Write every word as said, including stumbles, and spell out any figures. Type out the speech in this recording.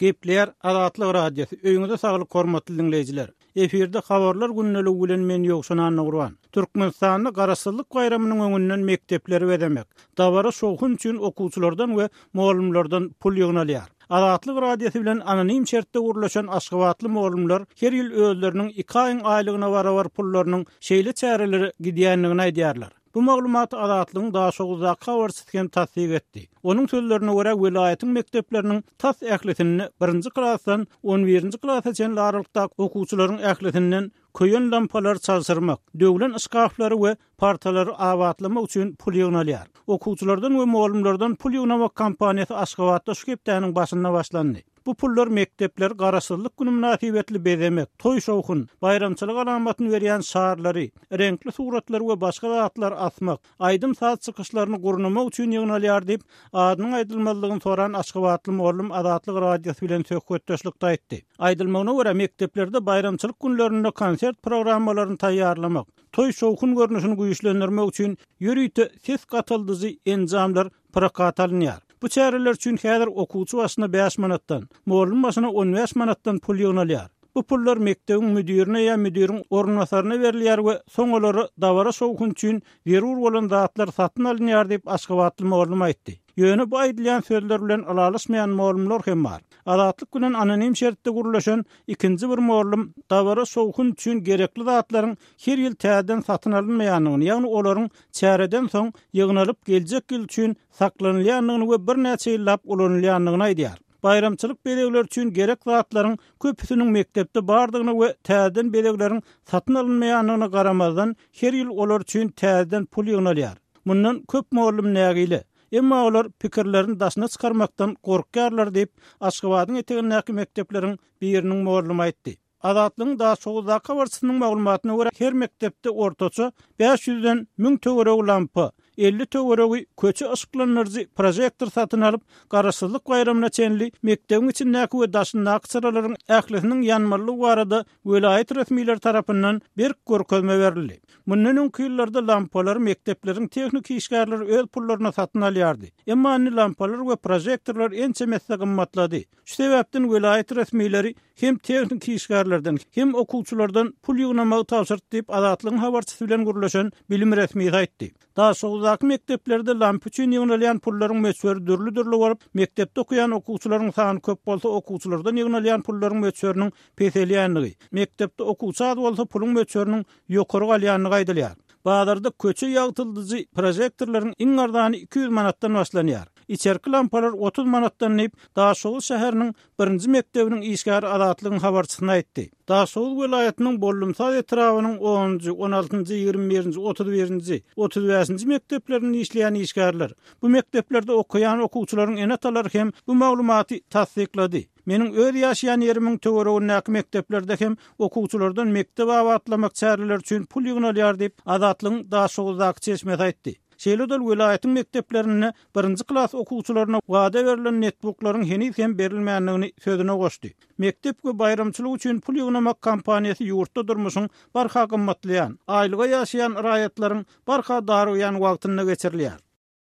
Gepleýär Azatlyk Radiosy. Öýüňize saglyk hormatly diňleýjiler. Efirde habarlar gündeligi bilen men Ýowşan Annagurban. Türkmenistanda Garaşsyzlyk baýramynyň öňünden mekdepleri bezemek, dabara şowhun üçin okuwçylardan we mugallymlardan pul ýygnalýar. Azatlyk Radiosy bilen anonim şertde gurlaşan Aşgabatly mugallymlar her ýyl özleriniň iki aýyň aýlygyna barabar pullarynyň şeýle çärelere gidýändigini aýdýarlar. Bu maglumaty Azatlygyň Daşoguzdaky habarçysy hem tassyk etdi. Onuň sözlerine görä welaýatyň mekdepleriniň tas ählisinde birinji klasdan on birinji klasa çenli aralykdaky okuwçylaryň ählisinden köýen lampalar çalşyrmak, döwlen yşgaflary we partalary abatlamak üçin pul ýygnalýar. Okuwçylardan we mugallymlardan pul ýygnamak kampaniýasy Aşgabatda şu hepdäniň başynda başlandy. Bu pullar mekdepler Garaşsyzlyk günü münasibetli bezemek, toý şowhun, baýramçylyk alamatyny berýän şarlary, reňkli suratlary we başga zatlar asmak, aýdym saz çykyşlaryny gurnamak üçin ýygnalýar diýip, adynyň aýdylmazlygyny soran Aşgabatly mugallym Azatlyk Radiosy bilen söhbetdeşlikde aýtdy. Aýdylmagyna görä mekdeplerde baýramçylyk günlerinde konsert programmalaryny taýýarlamak, toý şowhun görnüşini güýçlendirmek üçin ýörite ses gatyldyjy enjamlar prokat alynýar. Bu çäreler üçin häzir okuwçy başyna bäş manatdan, mugallym başyna on bäş manatdan pul ýygnalýar. Bu pullar mekdebiň müdirine ýa müdiriň orunbasaryna berilýär we soň olara dabara şowhun üçin zerur bolan zatlar satyn alynýar diýip Aşgabatly mugallym aýtdy. Ýöne bu aýdylýan sözler bilen ylalaşmaýan mugallymlar hem bar. Azatlyk bilen anonim şertde gurlaşan ikinji bir mugallym dabara şowhun üçin gerekli zatlaryň her ýyl täzeden satyn alynmaýandygyny, ýagny olaryň çäreden soň ýygnalyp geljek ýyl üçin saklanylýandygyny we birnäçe ýyllap ulanylýandygyny aýdýar. Baýramçylyk bezegleri üçin gerek zatlaryň köpüsiniň mekdepde bardygyny we täzeden bezegleriň satyn alynmaýandygyna garamazdan her ýyl olar üçin täzeden pul ýygnalýar. Mundan köp mugallym nägile. Emma olar pikirlerini daşyna çykarmakdan gorkýarlar diýip Aşgabadyň etegindäki mekdepleriň biriniň mugallymy aýtdy. Azatlygyň Daşoguzdaky habarçysynyň maglumatyna görä her mekdepde ortaça bäş ýüzden müň töweregi lampa, elli töweregi köçe yşyklandyryjy projektor satyn alyp, Garaşsyzlyk baýramyna çenli mekdebiň içindäki we daşyndaky çyralaryň ählisiniň ýanmalylygy barada welaýat resmileri tarapyndan berk görkezme berildi. Mundan öňki ýyllarda lampalar mekdepleriň tehniki işgärleri öz pullaryna satyn alýardy. Emma indi lampalar we projektorlar ençemesi gymmatlady. Şu sebäpden welaýat resmileri hem tehniki işgärlerden, hem okuwçylardan pul ýygnamagy tabşyrdy diýip Azatlygyň habarçysy bilen gürleşen bilim resmisi aýtdy. Daşoguzdaky mekdeplerde lampa üçin ýygnalýan pullaryň möçberi dürli-dürli bolup, mekdepde okuýan okuwçylaryň sany köp bolsa okuwçylardan ýygnalýan pullaryň möçberiniň peselýändigi, mekdepde okuwçy az bolsa puluň möçberiniň ýokary galýandygy aýdylýar. Bazarda köçe ýagtyldyjy projektorlaryň iň arzany iki ýüz manatdan başlanýar. Içerki lampalar otuz manatdan diýip, Daşoguz şäheriniň birinji mekdebiniň işgäri Azatlygyň habarçysyna aýtdy. Daşoguz welaýatynyň Bollumsaz etrabynyň onunjy, on altynjy, ýigrimi birinji, otuz birinji, otuz bäşinji mekdeplerinde işleýän işgärler, bu mekdeplerde okaýan okuwçylaryň ene-atalary hem bu maglumaty tassyklady. Meniň öz ýaşaýan ýerimiň töweregindäki mekdeplerde hem okuwçylardan mekdep abatlamak çäreleri üçin pul ýygnalýar diýip Azatlygyň Daşoguzdaky çeşmesi aýtdy. Şeýle-de welaýatyň mekdeplerinde birinji klas okuwçylaryna wada berlen netbuklaryň heniz hem berilmändigini sözüne goşdy. Mekdep we baýramçylyk üçin pul ýygnamak kampaniýasy ýurtda durmuşyň barha gymmatlaýan, aýlyga ýaşaýan raýatlaryň barha darygýan wagtynda geçirilýär.